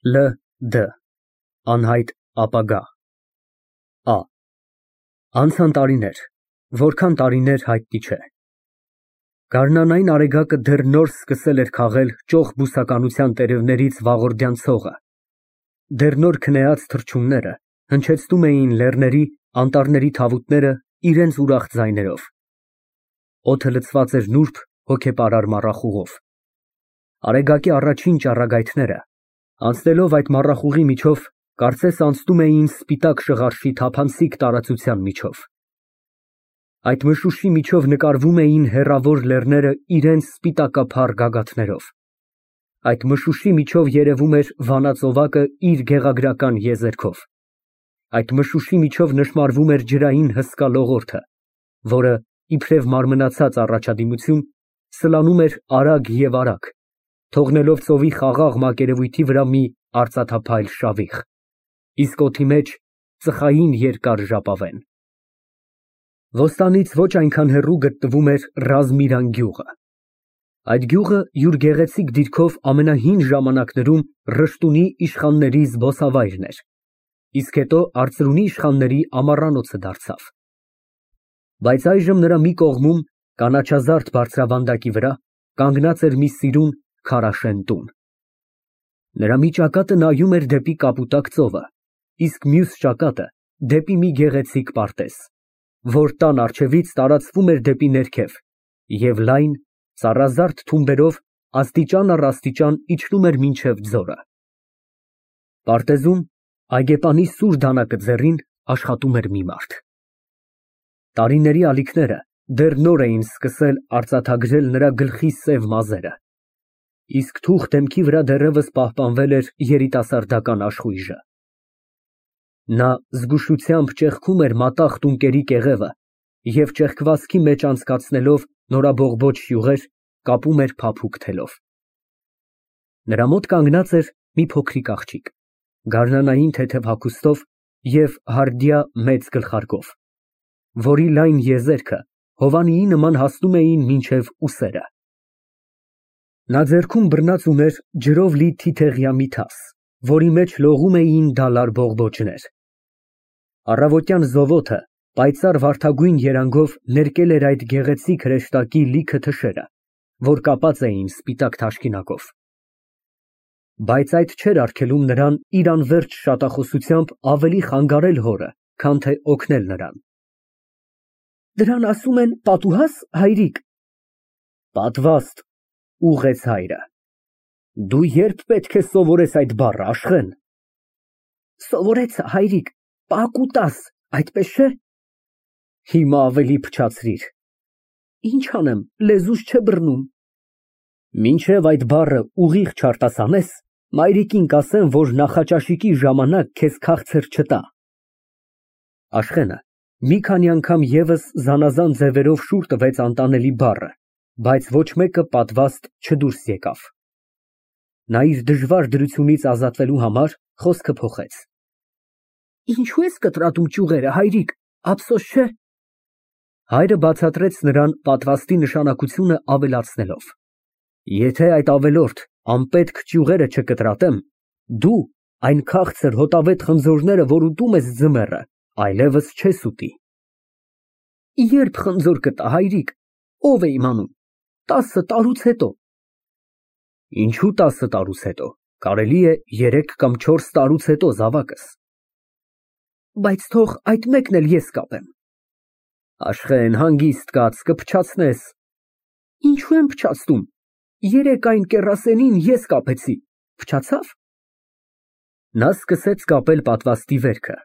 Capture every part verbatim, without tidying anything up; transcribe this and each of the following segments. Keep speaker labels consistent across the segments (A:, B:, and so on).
A: L D Անհայտ ապագա Ա Անցան տարիներ, որքան տարիներ հայտնի չէ։ Գարնանային արեգակը դեռ նոր սկսել էր քաղել ճոխ բուսականության տերևներից վաղորդյան ցողը, դեռ նոր քնեած թռչունները հնչեցնում էին լեռների, անտառների թավուտները իրենց ուրախ ձայներով։ Օդը լցված էր նուրբ, հոգեպարար մառախուղով։ Արեգակի առաջին ճառագայթները, անցնելով այդ մառախուղի միջով, կարծես անցնում էին սպիտակ շղարշի թափանցիկ տարածության միջով։ Այդ մշուշի միջով նկարվում էին հեռավոր լեռները իրենց սպիտակափառ գագաթներով։ Այդ մշուշի միջով երևում էր վանածովակը իր գեղագրական եզերքով։ Այդ մշուշի միջով նշմարվում էր ջրային հսկա լողորդը, որը, իբրև մարմնացած առաջադիմություն, սլանում էր արագ և արագ, թողնելով ծովի խաղաղ մակերևույթի վրա մի արծաթափայլ շավիղ, իսկ օդի մեջ ծխային երկար ժապավեն։ Ոստանից ոչ այնքան հեռու գտնվում էր Ռազմիրան գյուղը։ Այդ գյուղը յուր գեղեցիկ դիրքով ամենահին ժամանակներում Ռշտունի իշխանների զբոսավայրն էր, իսկ հետո արծրունի իշխանների ամառանոցը դարձավ։ Բայց այժմ նրա մի կողմում, կանաչազարդ բարձրավանդակի վրա, կանգնած էր մի սիրուն, քարաշեն տուն։ Նրա մի ճակատը նայում էր դեպի կապուտակ ծովը, իսկ մյուս ճակատը դեպի մի գեղեցիկ պարտեզ, որ տան առջևից տարածվում էր դեպի ներքև և լայն, ծառազարդ թումբերով աստիճան առ աստիճան իջնում էր մինչև ձորը։ Պարտեզում, այգեպանի սուր դանակը ձեռին, աշխատում էր մի մարդ։ Տարիների ալիքները դեռ նոր էին սկսել արծաթագրել նրա գլխի սև մազերը, իսկ թուխ դեմքի վրա դեռևս պահպանվել էր երիտասարդական աշխույժը։ Նա զգուշությամբ ճեղքում էր մատաղ տունկերի կեղևը և ճեղքվածքի մեջ անցկացնելով նորաբողբոջ յուղեր, կապում էր փափուկ թելով։ Նրա մոտ կանգնած էր մի փոքրիկ աղջիկ, գարնանային թեթև հագուստով և հարդյա մեծ գլխարկով, որի լայն եզերքը հովանիի նման հասնում էին մինչև ուսերը։ Նա ձեռքում բռնած ուներ ջրով լի թիթեղյա մի թաս, որի մեջ լողում էին դալար բողբոջներ։ Առավոտյան զովոթը պայծառ վարդագույն երանգով ներկել էր այդ գեղեցիկ հրեշտակի լիքը թշերը, որ կապած էին սպիտակ թաշկինակով։ Բայց այդ չէր արգելում նրան իր անվերջ շատախոսությամբ ավելի խանգարել հորը, քան թե օգնել նրան։ Դրան ասում են պատուհա՞ս, հայրիկ։ Պատվաստ, ուղղեց հայրը։ Դու ե՞րբ պետք է սովորես այդ բառը, Աշխեն։ Սովորեցա, հայրիկ, պակուտաս, այդպես չէ։ Հիմա ավելի փչացրիր։ Ինչ անեմ, լեզուս չէ բռնում։ Մինչև այդ բառը ուղիղ չարտասանես, մայրիկին կասեմ, որ նախաճաշիկի ժամանակ քեզ քաղցր չտա։ Աշխենը մի քանի անգամ ևս զանազան ձևերով շուռ տվեց անտանելի բառը, բայց ոչ մեկը պատվաստ չդուրս եկավ։ Նա իր դժվար դրությունից ազատվելու համար խոսքը փոխեց։ Ինչու ես կտրատում ճյուղերը, հայրիկ, ափսոս չէ։ Հայրը բացատրեց նրան պատվաստի նշանակությունը ավելացնելով. Եթե այդ ավելորդ անպետք ճյուղերը չկտրատեմ, դու այն քաղցր հոտավետ խնձորները, որ ուտում ես ձմեռը, այլևս չես ուտի։ Երբ խնձոր կտա, հայրիկ, ով է իմանում, տասը տարուց հետո։ Ինչու տասը տարուց հետո, կարելի է երեք կամ չորս տարուց հետո, զավակս։ Բայց թող այդ մեկն էլ ես կապեմ։ Աշխեն, հանգիստ կաց, կփչացնես։ Ինչու եմ փչացնում, երեկ այն կեռասենին ես կապեցի, փչացավ։ Նա սկսեց կապել պատվաստի վերքը։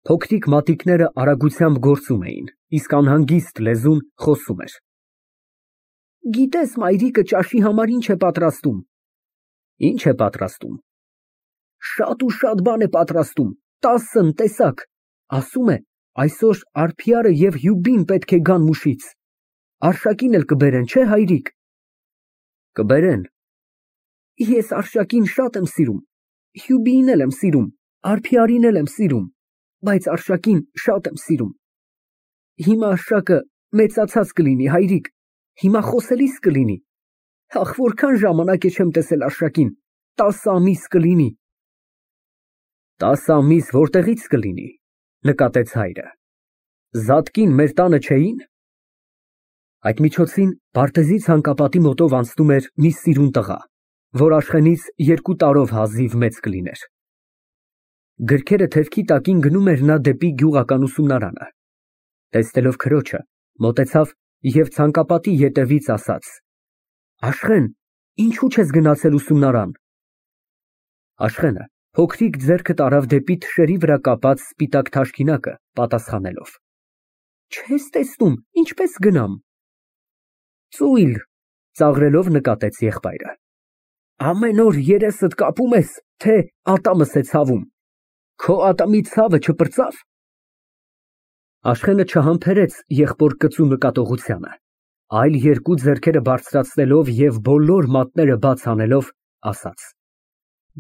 A: Փոքրիկ մատիկները արագությամբ գործում էին, իսկ անհանգիստ լեզուն խոսում էր։ Գիտես, մայրիկը ճաշի համար ինչ է պատրաստում։ Ինչ է պատրաստում։ Շատ ու շատ բան է պատրաստում, տասն տեսակ, ասում է, այսօր արփիարը և հյուբին պետք է գան մուշից, արշակին էլ կբերեն, չէ, հայրիկ։ Կբերեն։ Ես արշակին շատ եմ սիրում, հյուբիին էլ եմ սիրում, արփիարին էլ եմ սիրում, բայց արշակին շատ եմ սիրում։ Հիմա արշակը մեծացած կլինի, հայրիկ, հիմա խոսելիս կլինի։ Ախ, որքան ժամանակ է չեմ տեսել արշակին, տասը ամիս կլինի, Տասը ամիս որտեղից կլինի, նկատեց հայրը, Զատկին մեր տանը չէին։ Այդ միջոցին Բարտեզի ցանկապատի մոտով անցնում էր մի սիրուն տղա, որ Աշխենից երկու տարով հազիվ մեծ կլիներ։ Գրքերը թևքի տակին գնում էր նա դեպի գյուղական ուսումնարանը։ Տեսնելով քրոջը, մոտեցավ և ցանկապատի ետևից ասաց. Աշխեն, ինչու չես գնացել ուսումնարան։ Աշխենը փոքրիկ ձեռքը տարավ դեպի թշերի վրա կապած սպիտակ թաշկինակը, պատասխանելով. Չես տեսնում, ինչպես գնամ։ Ծույլ, ծաղրելով նկատեց եղբայրը։ Ամեն օր երեսդ կապում ես, թե ատամս է ցավում։ Քո ատամի ցավը չպրծավ։ Աշխենը չհամբերեց եղբոր կծու նկատողությանը, այլ երկու ձեռքերը բարձրացնելով և բոլոր մատները բաց անելով, ասաց.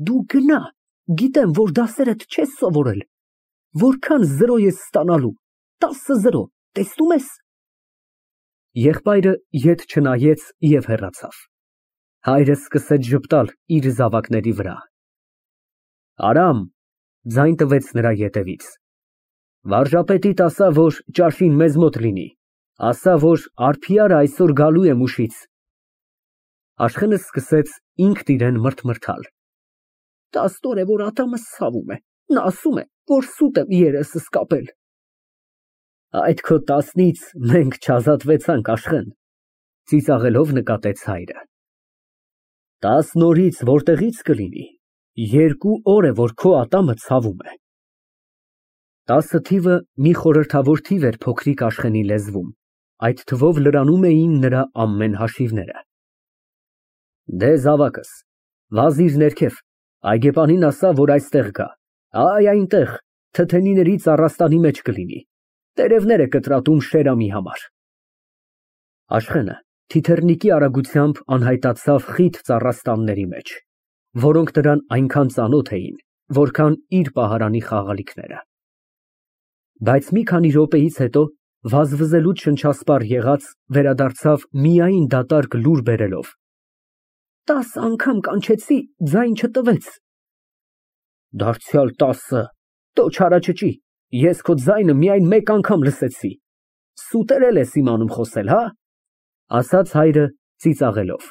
A: Դու գնա, գիտեմ, որ դասերդ չես սովորել, որքան զրո ես ստանալու, տասը զրո, տեսնում ես։ Եղբայրը ետ չնայեց և հեռացավ։ Հայրը սկսեց ժպտալ իր զավակների վրա։ Արամ, ձայն տվեց նրա ետևից։ Վարժապետիդ ասա, որ ճաշին մեզ մոտ լինի, ասա, որ արփիարը այսօր գալու է Մուշից։ Աշխենը սկսեց ինքն իրեն մրթմրթալ։ Տասնօր է, որ ատամս ցավում է, նա ասում է, որ սուտ եմ երեսս կապել։ Այդ քո տասնից մենք չազատվեցանք, Աշխեն, ծիծաղելով նկատեց հայրը։ Տասն օրից որտեղից կլինի, երկու օր է, որ քո ատամը ցավում է։ Տասը թիվը մի խորհրդավոր թիվ էր փոքրիկ Աշխենի լեզվում, այդ թվով լրանում էին նրա ամեն հաշիվները։ Դե զավակս, վազիր ներքև, այգեպանին ասա, որ այստեղ գա, այ այնտեղ, թթենիների ծառաստանի մեջ կլինի, տերևներ է կտրատում Շերամի համար։ Աշխենը թիթեռնիկի արագությամբ անհայտացավ խիտ ծառաստանների մեջ, որոնք նրան այնքան ծանոթ էին, որքան իր պահարանի խաղալիքները։ Բայց մի քանի րոպեից հետո, վազվզելուց շնչասպառ եղած, վերադարձավ միայն դատարկ լուր բերելով։ Տասը անգամ կանչեցի, ձայն չտվեց։ Դարձյալ տասը, տո չարաճճի, ես քո ձայնը միայն մեկ անգամ լսեցի։ Սուտերել ես իմանում խոսել, հա, ասաց հայրը ծիծաղելով։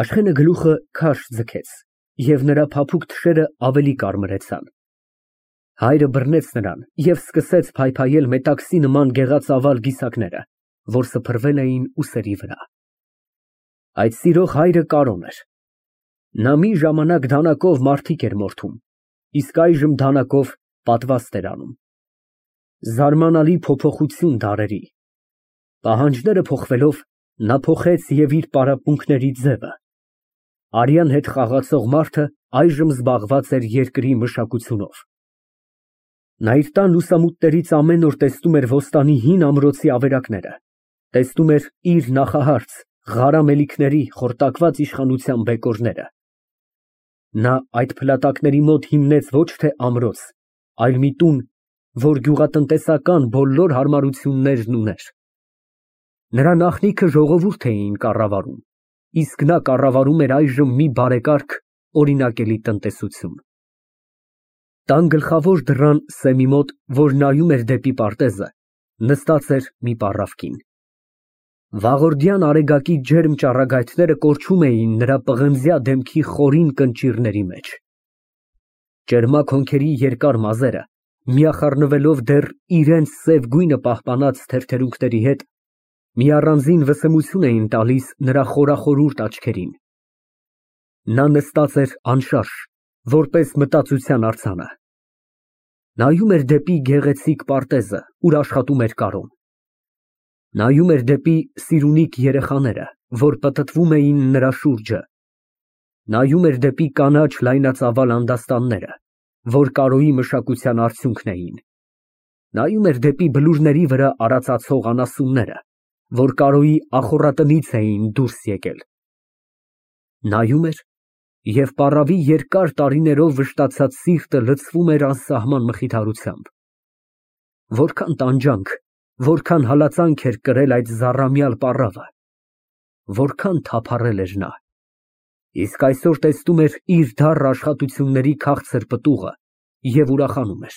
A: Աշխենը գլուխը քարշ ձգեց, և նրա փափուկ թշերը ավելի կարմրեցան։ Հայրը բռնեց նրան և սկսեց փայփայել մետաքսի նման գեղածավալ գիսակները, որ սփռվել էին ուսերի վրա։ Այդ սիրող հայրը Կարոն էր։ Նա մի ժամանակ դանակով մարդիկ էր մորթում, իսկ այժմ դանակով պատվաստ էր անում։ Զարմանալի փոփոխություն դարերի։ Պահանջները փոխվելով, նա փոխեց և իր պարապմունքների ձևը։ Արյան հետ խաղացող մարդը այժմ զբաղված էր երկրի մշակությունով։ Նա իր տան լուսամուտներից ամեն օր տեսնում էր Ոստանի հին ամրոցի ավերակները, տեսնում էր իր նախահարց, Ղարամ էլիքների խորտակված իշխանության բեկորները։ Նա այդ փլատակների մոտ հիմնեց ոչ թե ամրոց, այլ մի տուն, որ գյուղատնտեսական բոլոր հարմարություններն ուներ։ Նրա նախնիքը ժողովուրդ էին կառավարում, իսկ նա կառավարում էր այժմ մի բարեկարգ, օրինակելի տնտեսություն։ Տան գլխավոր դռան սեմի մոտ, որ նայում էր դեպի պարտեզը, նստած էր մի պառավ կին։ Վաղորդյան արեգակի ջերմ ճառագայթները կորչում էին նրա պղնձյա դեմքի խորին կնճիռների մեջ։ Ճերմակ հոնքերի երկար մազերը, միախառնվելով դեռ իրենց սև գույնը պահպանած թերթերունքների հետ, մի առանձին վսեմություն էին տալիս նրա խորախորուրդ աչքերին։ Նա նստած էր անշարժ, որպես մտածության արձանը։ Նայում էր դեպի գեղեցիկ պարտեզը, ուր աշխատում էր Կարոն։ Նայում էր դեպի սիրունիկ երեխաները, որ պտտվում էին նրա շուրջը։ Նայում էր դեպի կանաչ լայնածավալ անդաստանները, որ Կարոյի մշակության արդյունքն էին։ Նայում էր դեպի բլուրների վրա արածացող անասունները, որ Կարոյի ախոռատնից էին դուրս եկել։ Նայում էր, և պառավի երկար տարիներով վշտացած սիրտը լցվում էր անսահման մխիթարությամբ։ Որքան տանջանք, որքան հալածանք էր կրել այդ զառամյալ պառավը, որքան թափառել էր նա, իսկ այսօր տեսնում էր իր դառն աշխատությունների քաղցր պտուղը, և ուրախանում էր։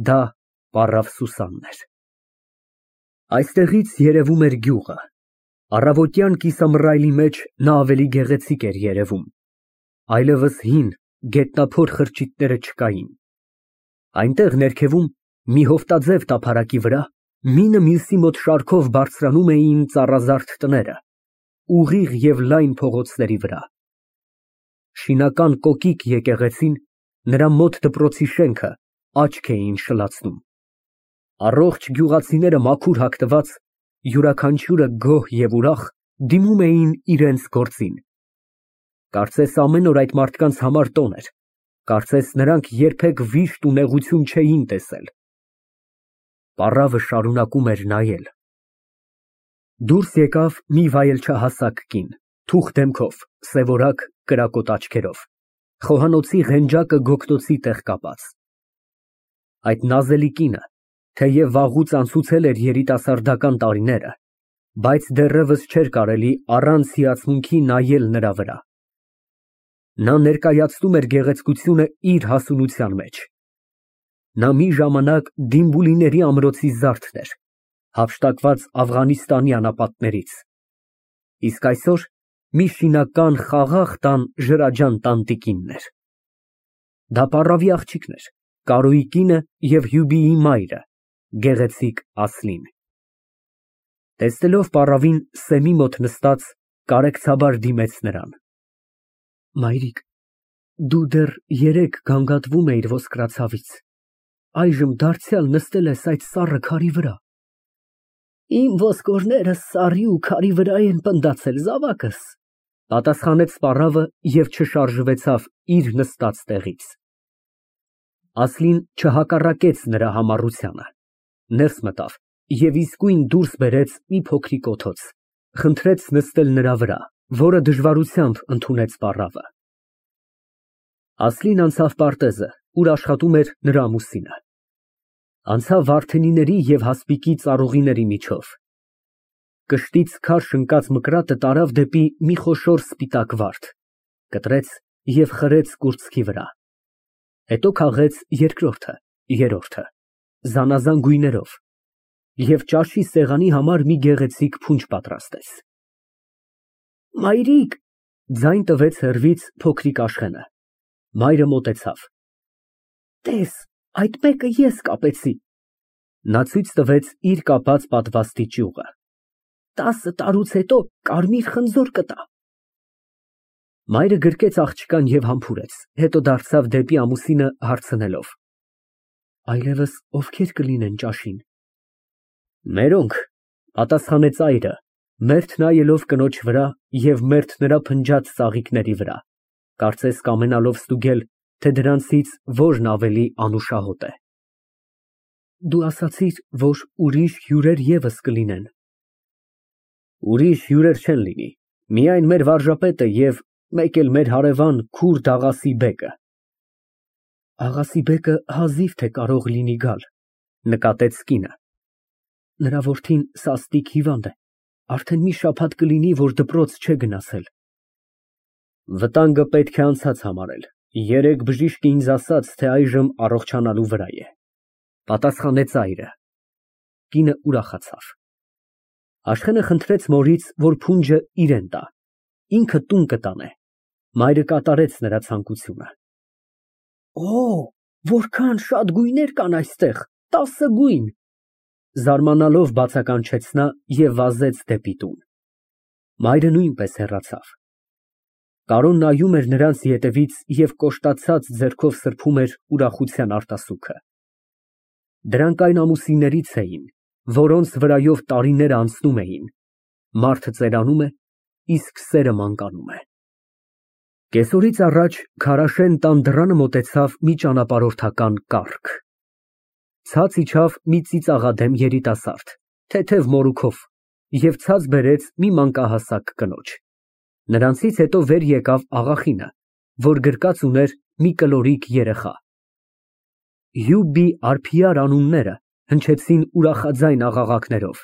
A: Դա պառավ Սուսանն էր։ Այստեղից երևում էր գյուղը։ Առավոտյան կիսամռայլի մեջ նա ավելի գեղեցիկ էր երևում, այլևս հին, գետնափոր խրճիթները չկային։ Այնտեղ ներքևում, մի հովտաձև տափարակի վրա, մինը մյուսի մոտ շարքով բարձրանում էին ծառազարդ տները, ուղիղ և լայն փողոցների վրա։ Շինական կոկիկ եկեղեցին, նրա մոտ դպրոցի շենքը աչք էին շլացնում։ Առողջ գյուղացիները մաքուր հագնված, յուրաքանչյուրը գոհ և ուրախ, դիմում էին իրենց գործին։ Կարծես ամեն օր այդ մարդկանց համար տոն էր, կարծես նրանք երբեք վիշտ ու նեղություն չէին տեսել։ Պառավը շարունակում էր նայել։ Դուրս եկավ մի վայելչահասակ կին, թուխ դեմքով, սևորակ, կրակոտ աչքերով, խոհանոցի ղենջակը գոգնոցի տեղ կապած։ Այդ նազելի կինը, թեև վաղուց անցուցել էր երիտասարդական տարիները, բայց դեռևս չէր կարելի առանց հիացմունքի նայել նրա վրա։ Նա ներկայացնում էր գեղեցկությունը իր հասունության մեջ։ Նա մի ժամանակ Դիմբուլիների ամրոցի զարդն էր, հափշտակված Աֆղանիստանի անապատներից, իսկ այսօր մի շինական խաղաղ տան ջրաջան տանտիկինն էր։ Դա պառավի աղջիկն էր, Կարոյի կինը և Հյուբիի մայրը, գեղեցիկ Ասլին։ Տեսնելով պառավին սեմի մոտ նստած, կարեկցաբար դիմեց նրան։ Մայրիկ, դու դեռ երեկ գանգատվում էիր ոսկրածավից, այժմ դարձյալ նստել ես այդ սառը քարի վրա։ Իմ ոսկորները սառի ու քարի վրա են պնդացել, զավակս, պատասխանեց պառավը և չշարժվեցավ իր նստած տեղից։ Ասլին չհակառակեց նրա համառությանը, ներս մտավ և իսկույն դուրս բերեց մի փոքրիկ օթոց, խնդրեց նստել նրա վրա, որը դժվարությամբ ընդունեց պառավը։ Ասլին անցավ պարտեզը, ուր աշխատում էր նրա ամուսինը։ Անցավ վարդենիների և հասպիկի ծառուղիների միջով։ Կշտից քարշ ընկած մկրատը տարավ դեպի մի խոշոր սպիտակ վարդ, կտրեց և խրեց կուրծքի վրա։ Հետո քաղեց երկրորդը, երրորդը, զանազան գույներով և ճաշի սեղանի համար մի գեղեցիկ փունջ պատրաստեց։ Մայրիկ, ձայն տվեց հեռվից փոքրիկ Աշխենը։ Մայրը մոտեցավ։ Տես, այդ մեկը ես կապեցի։ Նա ցույց տվեց իր կապած պատվաստի ճյուղը։ Տասը տարուց հետո կարմիր խնձոր կտա։ Մայրը գրկեց աղջկան և համբուրեց, հետո դարձավ դեպի ամուսինը հարցնելով. Այլևս ովքեր կլինեն ճաշին։ Մերոնք, պատասխանեց այրը, մերթ նայելով կնոջ վրա և մերթ նրա փնջած ծաղիկների վրա, կարծես կամենալով ստուգել, թե դրանցից որն ավելի անուշահոտ է։ Դու ասացիր, որ ուրիշ հյուրեր ևս կլինեն։ Ուրիշ հյուրեր չեն լինի, միայն մեր վարժապետը և մեկ էլ մեր հարևան քուրդ Աղասի բեկը։ Աղասի բեկը հազիվ թե կարող լինի գալ, նկատեց կինը։ Նրա որդին սաստիկ հիվանդ է, արդեն մի շաբաթ կլինի, որ դպրոց չէ գնացել։ Վտանգը պետք է անցած համարել, երեկ բժիշկը ինձ ասաց, թե այժմ առողջանալու վրա է, պատասխանեց այրը։ Կինը ուրախացավ։ Աշխենը խնդրեց մորից, որ փունջը իրեն տա, ինքը տուն կտանե։ Մայրը կատարեց նրա ցանկությունը։ Օ, որքան շատ գույներ կան այստեղ, տասը գույն, զարմանալով բացականչեց նա և վազեց դեպի տուն։ Մայրը նույնպես հեռացավ։ Կարոն նայում էր նրանց ետևից և կոշտացած ձեռքով սրբում էր ուրախության արտասուքը։ Դրանք այն ամուսիններից էին, որոնց վրայով տարիները անցնում էին, մարդը ծերանում է, իսկ սերը մանկանում է։ Կեսօրից առաջ Քարաշեն տան դռանը մոտեցավ մի ճանապարհորդական կառք։ Ցած իջավ մի ծիծաղադեմ երիտասարդ, թեթև մորուքով, և ցած բերեց մի մանկահասակ կնոջ։ Նրանցից հետո վեր եկավ աղախինը, որ գրկած ուներ մի կլորիկ երեխա։ Հյուբի արփիար անունները հնչեցին ուրախաձայն աղաղակներով,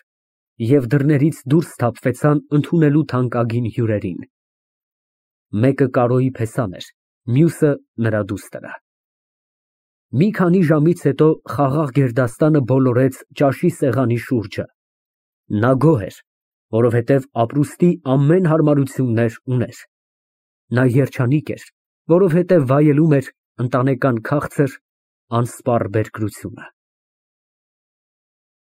A: և դռներից դուրս սթափվեցան ընդունելու թանկագին հյուրերին։ Մեկը Կարոյի փեսան էր, մյուսը նրա դուստրը։ Մի քանի ժամից հետո խաղաղ գերդաստանը բոլորեց ճաշի սեղանի շուրջը։ Նա գոհ էր, որովհետև ապրուստի ամեն հարմարություններ ուներ։ Նա երջանիկ էր, որովհետև վայելում էր ընտանեկան քաղցր, անսպառ բերկրությունը։